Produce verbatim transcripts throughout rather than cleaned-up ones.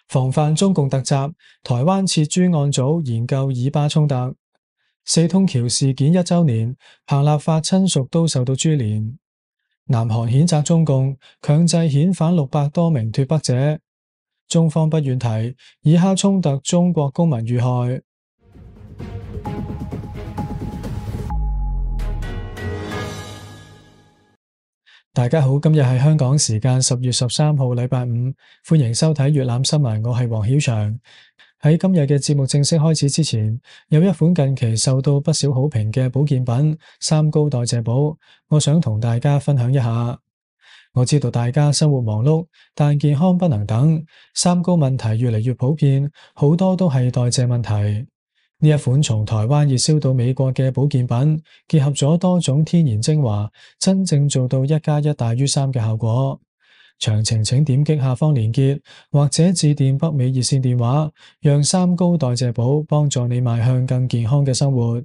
防範中共突襲，台灣設專案組研究以巴衝突。四通橋事件一週年，彭立發親屬都受到株連。南韓譴責中共強制遣返六百多名脫北者。中方不願提以哈衝突中國公民遇害。大家好，今日係香港時間十月十三號禮拜五，歡迎收睇粵覽新聞，我係黃曉翔。喺今日嘅節目正式開始之前，有一款近期受到不少好評嘅保健品三高代謝寶，我想同大家分享一下。我知道大家生活忙碌，但健康不能等，三高問題越嚟越普遍，好多都係代謝問題。呢一款從台灣熱銷到美國嘅保健品，結合咗多種天然精華，真正做到一加一大於三嘅效果。詳情請點擊下方連結，或者致電北美熱線電話，讓三高代謝寶幫助你邁向更健康嘅生活。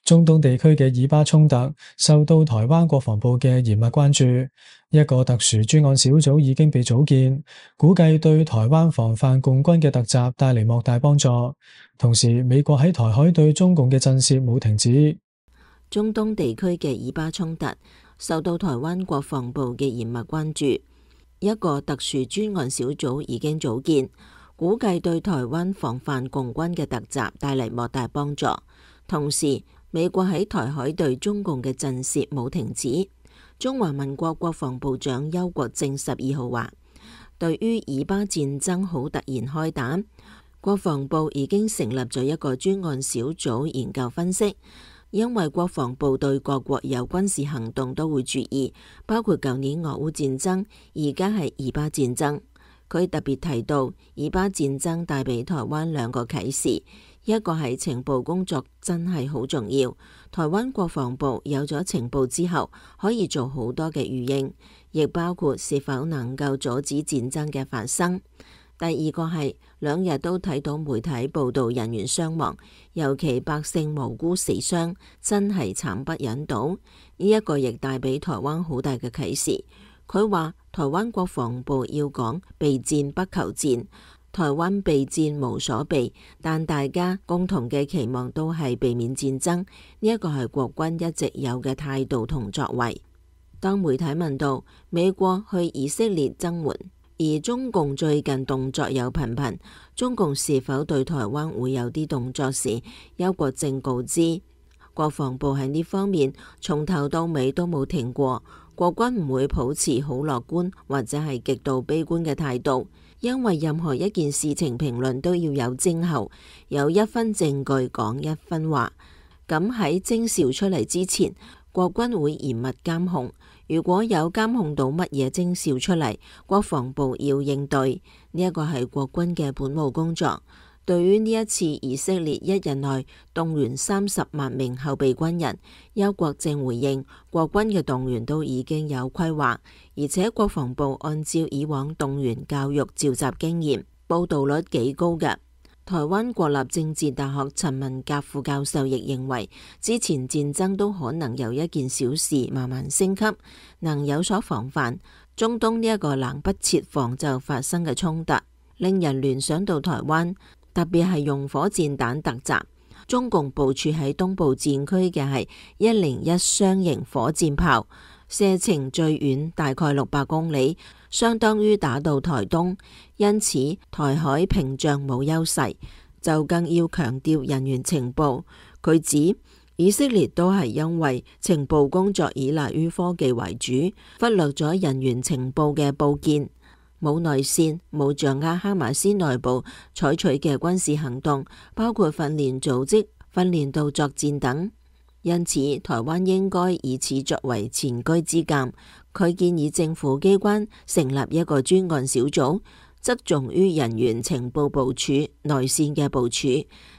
中東地區嘅以巴衝突受到台灣國防部嘅嚴密關注，一個特殊專案小組已經被組建，估計對台灣防範共軍嘅突襲帶嚟莫大幫助。同時，美國喺台海對中共嘅震懾冇停止。中東地區嘅以巴衝突受到台灣國防部嘅嚴密關注，一個特殊專案小組已經組建，估計對台灣防範共軍嘅突襲帶嚟莫大幫助。同時，美國喺台海對中共嘅震懾冇停止。中華民國國防部長邱國正十二號話，對於以巴戰爭好突然開打，國防部已經成立咗一個專案小組研究分析。因為國防部對各國有軍事行動都會注意，包括舊年俄烏戰爭，而家係以巴戰爭。佢特別提到，以巴戰爭帶俾台灣兩個啟示。一個係情報工作真係好重要，台灣國防部有咗情報之後，可以做好多嘅預應，亦包括是否能夠阻止戰爭嘅發生。第二個係兩日都睇到媒體報道人員傷亡，尤其百姓無辜死傷，真係慘不忍睹。呢一個亦帶俾台灣好大嘅啟示。佢話台灣國防部要講備戰不求戰。台灣備戰無所備，但大家共同嘅期望都係避免戰爭，呢一個係國軍一直有嘅態度同作為。當媒體問到美國去以色列增援，而中共最近動作有頻頻，中共是否對台灣會有啲動作時，邱國正告知，國防部喺呢方面從頭到尾都冇停過，國軍唔會抱持好樂觀或者係極度悲觀嘅態度。因為任何一件事情評論都要有徵候，有一分證據講一分話。咁喺徵兆出嚟之前，國軍會嚴密監控。如果有監控到乜嘢徵兆出嚟，國防部要應對。呢一個係國軍嘅本務工作。對於呢一次以色列一日內動員三十萬名後備軍人，邱國正回應，國軍嘅動員都已經有規劃，而且國防部按照以往動員教育召集經驗，報道率幾高嘅。台灣國立政治大學陳文甲副教授亦認為，之前戰爭都可能由一件小事慢慢升級，能有所防範。中東呢一個冷不設防就發生嘅衝突，令人聯想到台灣。特別係用火箭彈突襲，中共部署喺東部戰區嘅係一零一雙型火箭炮，射程最遠大概六百公里，相當於打到台東，因此台海屏障冇優勢，就更要強調人員情報。佢指以色列都係因為情報工作依賴於科技為主，忽略咗人員情報嘅報建。冇內線，冇掌握哈馬斯內部採取嘅軍事行動，包括訓練組織、訓練到作戰等。因此，台灣應該以此作為前車之鑑。佢建議政府機關成立一個專案小組，側重於人員情報部署、內線嘅部署。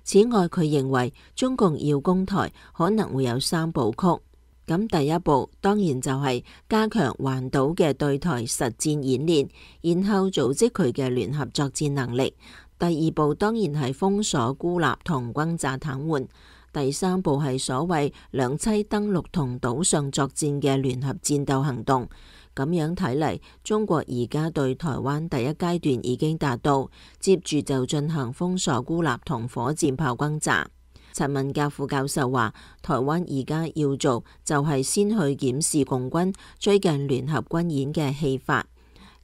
此外，佢認為中共要攻台可能會有三部曲。咁第一步當然就係加強環島嘅對台實戰演練，然後組織佢嘅聯合作戰能力。第二步當然係封鎖孤立同轟炸癱瘓。第三步係所謂兩棲登陸同島上作戰嘅聯合戰鬥行動。咁樣睇嚟，中國而家對台灣第一階段已經達到，接住就進行封鎖、孤立同火箭炮轟炸。陳文甲副教授話，台灣而家要做就係先去檢視共軍最近聯合軍演嘅戲法、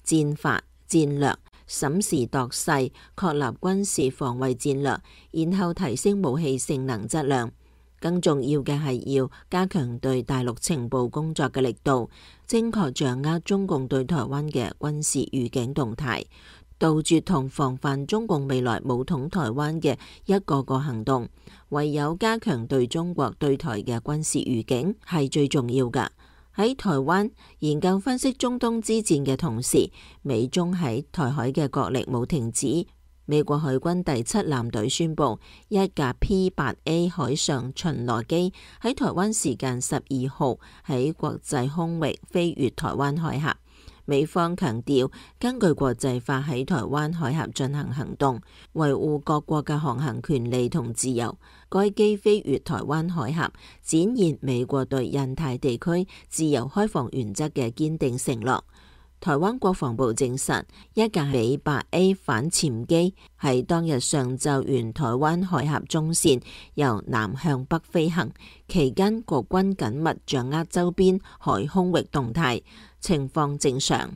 戰法、戰略，審時度勢，確立軍事防衛戰略，然後提升武器性能質量。更重要嘅係要加強對大陸情報工作嘅力度，精確掌握中共對台灣嘅軍事預警動態，杜絕同防範中共未來武統台灣嘅一個個行動。唯有加強對中國對台嘅軍事預警係最重要㗎。喺台灣研究分析中東之戰嘅同時，美中喺台海嘅角力冇停止。美國海軍第七艦隊宣布，一架 P 八 A 海上巡邏機喺台灣時間十二號喺國際空域飛越台灣海峽。美方強調，根據國際法喺台灣海峽進行行動，維護各國嘅航行權利同自由。該機飛越台灣海峽，展現美國對印太地區自由開放原則嘅堅定承諾。台灣國防部證實，一架美 八 A 反潛機喺當日上晝沿台灣海峽中線由南向北飛行，期間國軍緊密掌握周邊海空域動態，情況正常。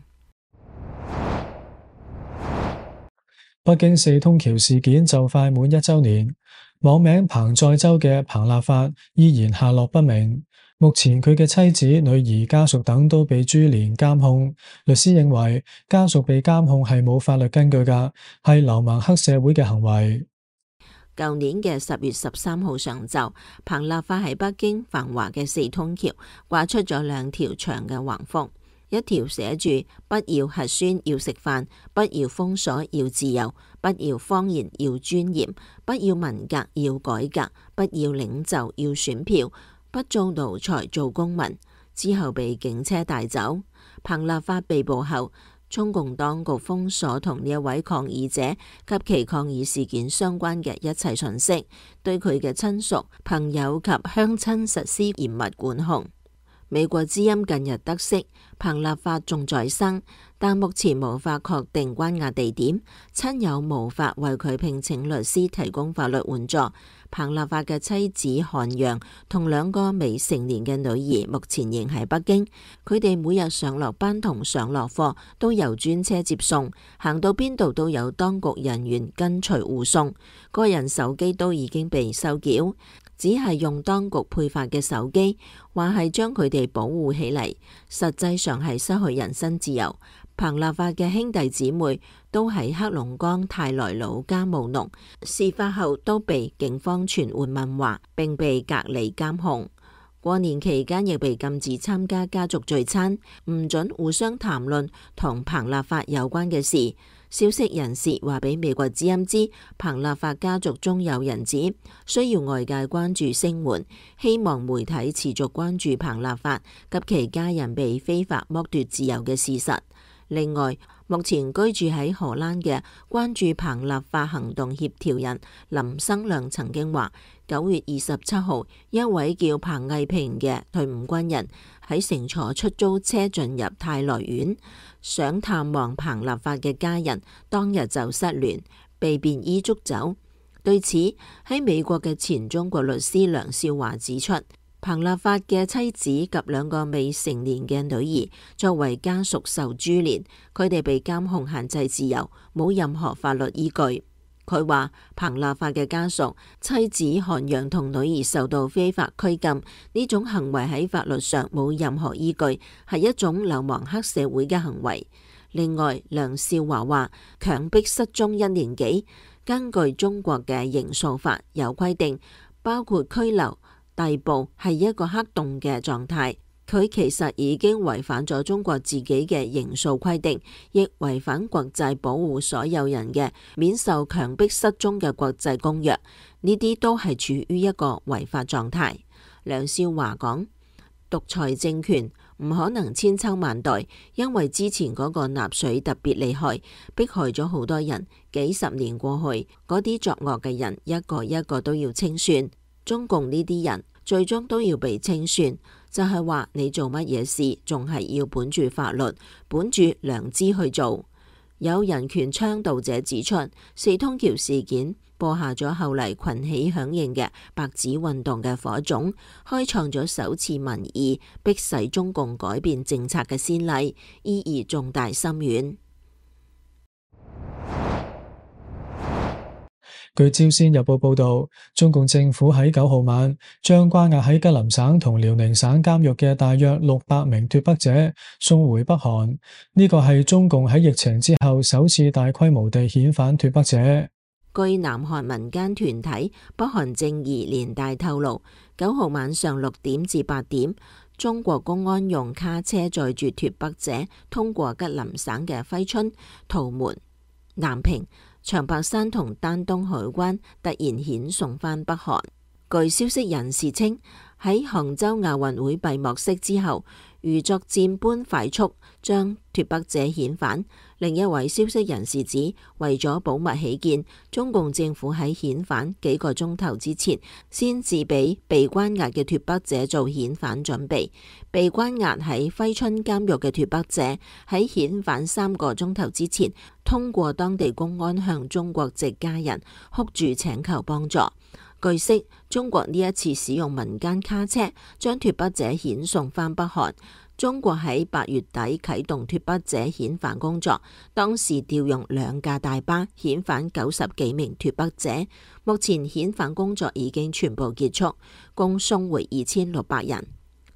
北京四通橋事件就快滿一週年，網名彭載舟嘅彭立發依然下落不明。目前佢嘅妻子、女兒、家屬等都被株連監控。律師認為家屬被監控係冇法律根據㗎，係流氓黑社會嘅行為。舊年嘅十月十三號上晝，彭立發喺北京繁華嘅四通橋掛出咗兩條長嘅橫幅，一條寫住不要核酸要食飯，不要封鎖要自由，不要謊言要尊嚴，不要文革要改革，不要領袖要選票，不做奴才做公民。之後被警車帶走。彭立發被捕後，中共當局封鎖同呢一位抗議者及其抗議事件相關嘅一切信息，對佢嘅親屬、朋友及鄉親實施嚴密管控。美國之音近日得悉，彭立發仲在生，但目前無法確定關押地點，親友無法為佢聘請律師提供法律援助。彭立發嘅妻子韓陽同兩個未成年嘅女兒目前仍喺北京，佢哋每日上落班同上落課都由專車接送，行到邊度都有當局人員跟隨護送，個人手機都已經被收繳，只係用當局配發嘅手機，話係將佢哋保護起嚟，實際上係失去人身自由。彭立發嘅兄弟姊妹都喺黑龍江泰來老家務農，事發後都被警方傳喚問話，並被隔離監控。過年期間亦被禁止參加家族聚餐，唔准互相談論同彭立發有關嘅事。消息人士話俾美國之音知，彭立發家族中有人指需要外界關注聲援，希望媒體持續關注彭立發及其家人被非法剝奪自由嘅事實。另外，目前居住喺荷蘭嘅關注彭立發行動協調人林生亮曾經話，九月二十七號，一位叫彭毅平嘅退伍軍人喺乘坐出租車進入泰來縣，想探望彭立發嘅家人，當日就失聯，被便衣捉走。對此，喺美國嘅前中國律師梁少華指出，彭立發嘅妻子及兩個未成年嘅女兒作為家屬受株連，佢哋被監控限制自由，冇任何法律依據。佢話彭立發嘅家屬、妻子韓陽同女兒受到非法拘禁，呢種行為喺法律上冇任何依據，係一種流氓黑社會嘅行為。另外，梁少華話強迫失蹤一年幾，根據中國嘅刑訴法有規定，包括拘留、逮捕係一個黑洞嘅狀態，佢其實已經違反咗中國自己嘅刑訴規定，亦違反國際保護所有人嘅免受強迫失蹤嘅國際公約，呢啲都係處於一個違法狀態。梁少華講，獨裁政權唔可能千秋萬代，因為之前嗰個納粹特別厲害，迫害咗好多人，幾十年過去，嗰啲作惡嘅人一個一個都要清算。中共呢啲人最終都要被清算，就係話你做乜嘢事，仲係要本住法律、本住良知去做。有人權倡導者指出，四通橋事件播下咗後嚟群起響應嘅白紙運動嘅火種，開創咗首次民意迫使中共改變政策嘅先例，意義重大深遠。據朝鮮日報報道，中共政府喺九號晚將關押喺吉林省同遼寧省監獄嘅大約六百名脫北者送回北韓。呢個係中共喺疫情之後首次大規模地遣返脫北者。據南韓民間團體北韓正義連帶透露，九號晚上六點至八點，中國公安用卡車載住脫北者通過吉林省嘅揮春、圖門、南平、長白山同丹東海關，突然遣送返北韓。據消息人士稱，喺杭州亞運會閉幕式之後，如作戰般快速將脫北者遣返。另一位消息人士指，為咗保密起見，中共政府喺遣返幾個鐘頭之前，先至俾被關押嘅脫北者做遣返準備。被關押喺揮春監獄嘅脫北者喺遣返三個鐘頭之前，通過當地公安向中國籍家人哭住請求幫助。據悉，中國呢一次使用民間卡車將脫北者遣送返北韓。中國喺八月底啟動脫北者遣返工作，當時調用兩架大巴遣返九十幾名脫北者。目前遣返工作已經全部結束，共送回二千六百人。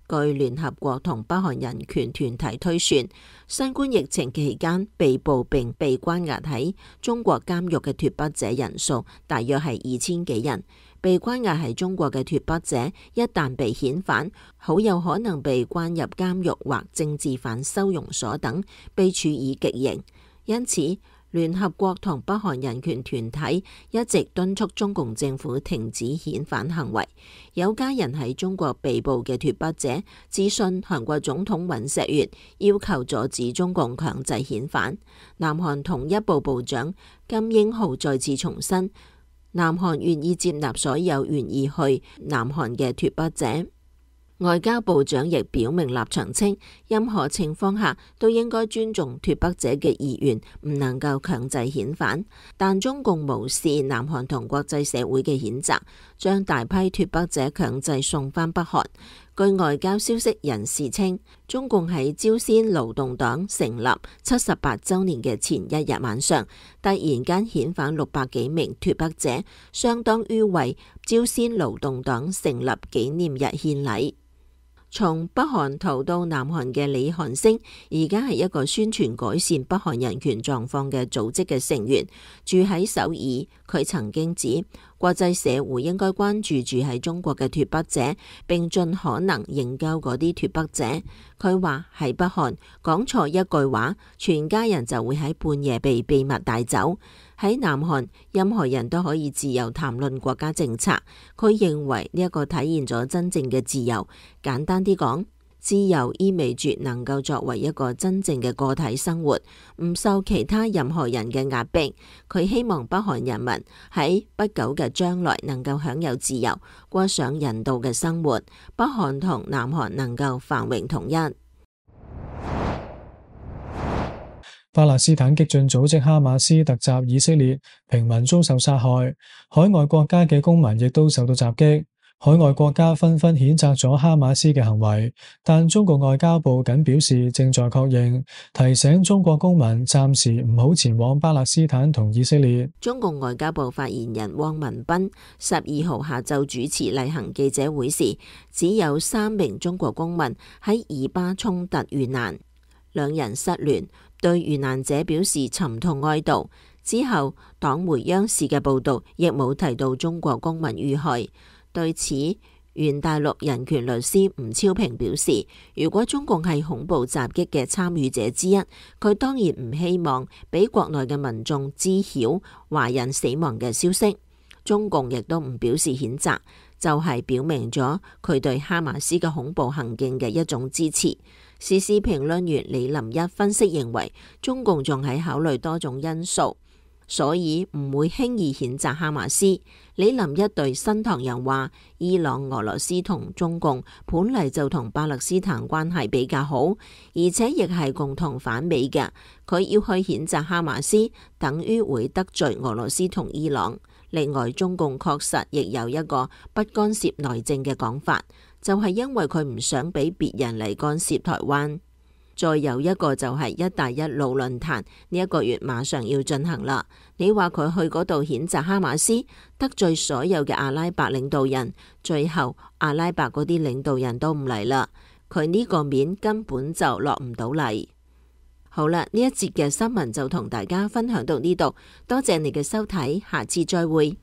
據聯合國同北韓人權團體推算，新冠疫情期間被捕並被關押喺中國監獄嘅脫北者人數大約係二千幾人。被關押喺中國嘅脫北者一旦被遣返，好有可能被關入監獄或政治犯收容所等，被處以極刑。因此，聯合國同北韓人權團體一直敦促中共政府停止遣返行為。有家人喺中國被捕嘅脫北者致信韓國總統尹錫悅，要求阻止中共強制遣返。南韓統一部部長金英浩再次重申，南韓願意接納所有願意去南韓嘅脫北者。外交部長亦表明立場稱，任何情況下都應該尊重脫北者嘅意願，唔能夠強制遣返。但中共無視南韓同國際社會嘅譴責，將大批脫北者強制送返北韓。據外交消息人士稱，中共喺朝鮮勞動黨成立七十八週年嘅前一日晚上，突然間遣返六百幾名脫北者，相當於為朝鮮勞動黨成立紀念日獻禮。從北韓逃到南韓嘅李韓星，而家係一個宣傳改善北韓人權狀況嘅組織嘅成員，住喺首爾。佢曾經指，國際社會應該關注住喺中國嘅脫北者，並盡可能營救嗰啲脫北者。佢話喺北韓講錯一句話，全家人就會喺半夜被秘密帶走。喺南韓，任何人都可以自由談論國家政策。佢認為呢一個體現咗真正嘅自由。簡單啲講，自由意味住能夠作為一個真正嘅個體生活，唔受其他任何人嘅壓迫。佢希望北韓人民喺不久嘅將來能夠享有自由，過上人道嘅生活。北韓同南韓能夠繁榮統一。巴勒斯坦激進組織哈馬斯突襲以色列，平民遭受殺害，海外國家嘅公民亦都受到襲擊。海外國家紛紛譴責咗哈馬斯嘅行為，但中國外交部僅表示正在確認，提醒中國公民暫時唔好前往巴勒斯坦同以色列。中共外交部發言人汪文斌十二號下晝主持例行記者會時，只有三名中國公民喺以巴衝突遇難，兩人失聯，對遇難者表示沉痛哀悼。之後，黨媒央視嘅報導亦冇提到中國公民遇害。對此，原大陸人權律師吳超平表示，如果中共係恐怖襲擊嘅參與者之一，佢當然唔希望俾國內嘅民眾知曉華人死亡嘅消息。中共亦都唔表示譴責，就係表明咗佢對哈馬斯嘅恐怖行徑嘅一種支持。時事評論員李林一分析認為，中共仲喺考慮多種因素，所以唔會輕易譴責哈馬斯。李林一對新唐人話，伊朗、俄羅斯同中共本嚟就同巴勒斯坦關係比較好，而且亦係共同反美嘅。佢要去譴責哈馬斯，等於會得罪俄羅斯同伊朗。另外，中共確實亦有一個不干涉內政嘅講法，就係因為佢唔想俾別人嚟干涉台灣。再有一個就係一帶一路論壇，呢一個月馬上要進行啦。你話佢去嗰度譴責哈馬斯，得罪所有嘅阿拉伯領導人，最後阿拉伯嗰啲領導人都唔嚟啦，佢呢個面根本就落唔到嚟。好啦，呢一節嘅新聞就同大家分享到呢度，多謝你嘅收睇，下次再會。